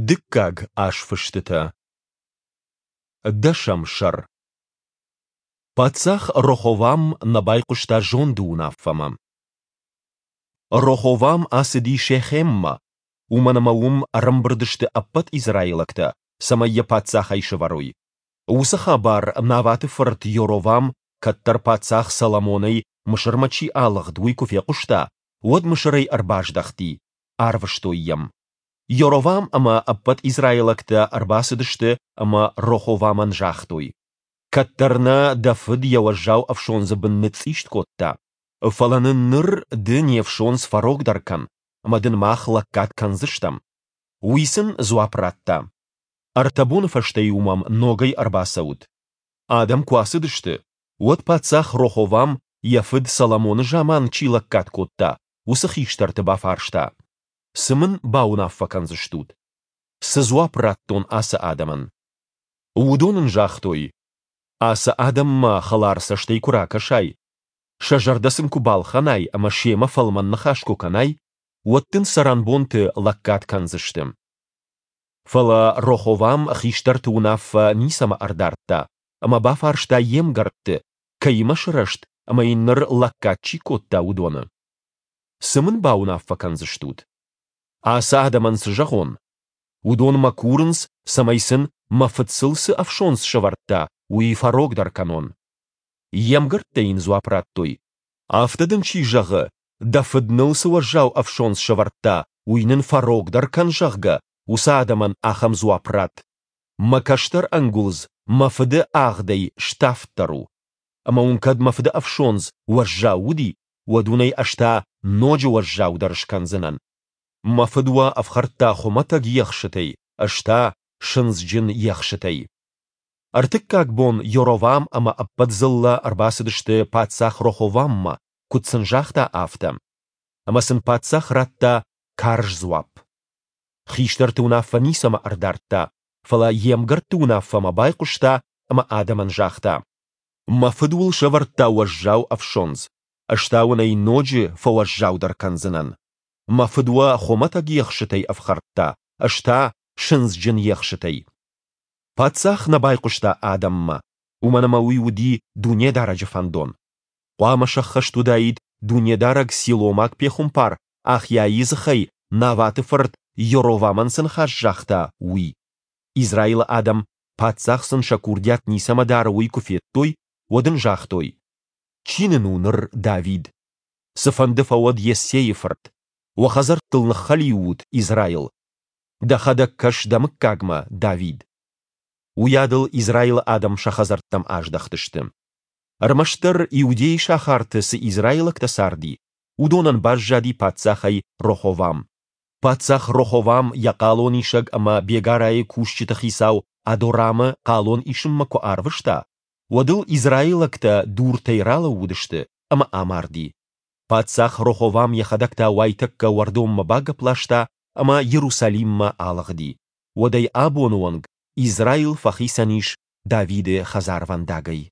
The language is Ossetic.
Дыккаг азфыстытӕ. Дӕсӕм сӕр. Паддзах Роховам нӕ байхъуыста зонды уынаффӕмӕ. Роховам ацыди Шехеммӕ, уымӕн ӕмӕ уым ӕрӕмбырд сты ӕппӕт израилӕгтӕ, цӕмӕй йӕ паддзахӕй сӕвӕрой. Уыцы хабар Наваты фырт Йоровам, кӕддӕр паддзах Соломонӕй Мысырмӕ чи алыгъд, уый куы фехъуыста, уӕд Мысырӕй ӕрбаздӕхти, арвыстой йӕм. Йоровам ӕмӕ ӕппӕт израилӕгтӕ ӕрбацыдысты ӕмӕ Роховамӕн загътой: Кӕддӕр нӕ дӕ фыд йӕ уӕззау ӕфсондзы бын ныцъцъист кодта, фӕлӕ нын ныр ды не фсондз фӕрогдӕр кӕн, ӕмӕ дын мах лӕггад кӕндзыстӕм. Уый сын дзуапп радта: Ӕртӕ боны фӕстӕ-иу мӕм ногӕй ӕрбацӕут. Адӕм куы ацыдысты, уӕд паддзах Роховам, йӕ фыд Соломоны заман чи лӕггад кодта, уыцы хистӕрты бафарста: Цы мын бауынаффӕ кӕндзыстут? Цы дзуапп радтон ацы адӕмӕн? Уыдон ын загътой: Ацы адӕммӕ хӕлар цӕстӕй куы ракӕсай, сӕ зӕрдӕ сын куы балхӕнай ӕмӕ семӕ фӕлмӕн ныхас куы кӕнай, уӕд дын цӕрӕнбонты лӕггад кӕндзысты. Фӕлӕ Роховам хистӕрты уынаффӕ ницӕмӕ ӕрдардта ӕмӕ бафарста йе мгӕртты, кӕимӕ сырӕзт ӕмӕ йын ныр лӕггад чи кодта, уыдоны. Цы мын бауынаффӕ кӕндзыстут? Ацы адӕмӕн цы зӕгъон? Уыдон мӕ курынц, цӕмӕй сын, мӕ фыд сыл цы ӕфсондз сӕвӕрдта, уый фӕрогдӕр кӕнон. Йе мгӕрттӕ йын дзуапп радтой: Афтӕ дын чи зӕгъы, дӕ фыд ныл цы уӕззау ӕфсондз сӕвӕрдта, уый нын фӕрогдӕр кӕн, зӕгъгӕ, уыцы адӕмӕн ахӕм дзуапп ратт: Мӕ кӕстӕр ӕнгуылдз мӕ фыды агъдӕй ставддӕр у. Ӕмӕ уын кӕд мӕ фыды ӕфсондз уӕззау уыди, уӕд уын ӕй ӕз та ноджы уӕззаудӕр скӕндзынӕн. Мӕ фыд уӕ ӕфхӕрдта хуымӕтӕг ехсытӕй, ӕз та сындзджын ехсытӕй. Ӕртыккаг бон Йоровам ӕмӕ ӕппӕт дзыллӕ ӕрбацыдысты паддзах Роховаммӕ, куыд сын загъта, афтӕ. Ӕмӕ сын паддзах радта карз дзуапп. Хистӕрты уынаффӕ ницӕмӕ ӕрдардта, фӕлӕ йе мгӕртты уынаффӕмӕ байхъуыста ӕмӕ адӕмӕн загъта: Мӕ фыд уыл сӕвӕрдта уӕззау ӕфсондз, ӕз та уын ӕй ноджы фӕуӕззаудӕр кӕндзынӕн. Мӕ фыд уӕ хуымӕтӕг ехсытӕй ӕфхӕрдта, ӕз та сындзджын ехсытӕй. Паддзах нӕ байхъуыста адӕммӕ, уымӕн ӕмӕ уый уыди Дунедарӕджы фӕндон. Хъуамӕ сӕххӕст уыдаид, Дунедарӕг силомаг пехуымпар Ахиайы дзыхӕй Наваты фырт Йоровамӕн цы ныхас загъта, уый. Израилы адӕм, паддзах сын сӕ курдиат ницӕмӕ дары, уый куы федтой, уӕд ын загътой: Чи нын у ныр Давид? Цыфӕнды фӕуӕд Йессейы фырт! Уӕ хӕдзӕрттыл ныххӕлиу ут, Израил! Дӕхӕдӕг кӕс дӕ мыггагмӕ, Давид! Уыйадыл Израилы адӕм сӕ хӕдзӕрттӕм аздӕхтысты. Ӕрмӕстдӕр Иудейы сахарты цы израилӕгтӕ царди, уыдонӕн баззади паддзахӕй Роховам. Паддзах Роховам йӕ хъалонисӕг ӕмӕ бегарайы кусджыты хицау Адорамы хъалон исынмӕ куы арвыста, уӕд ыл израилӕгтӕ дуртӕй ралӕууыдысты ӕмӕ амарди. Паддзах Роховам йӕхӕдӕг та уайтӕккӕ уӕрдонмӕ багӕпп ласта ӕмӕ Иерусалиммӕ алыгъди. Уӕдӕй абоны онг Израил фӕхицӕн ис Давиды хӕдзарвӕндагӕй.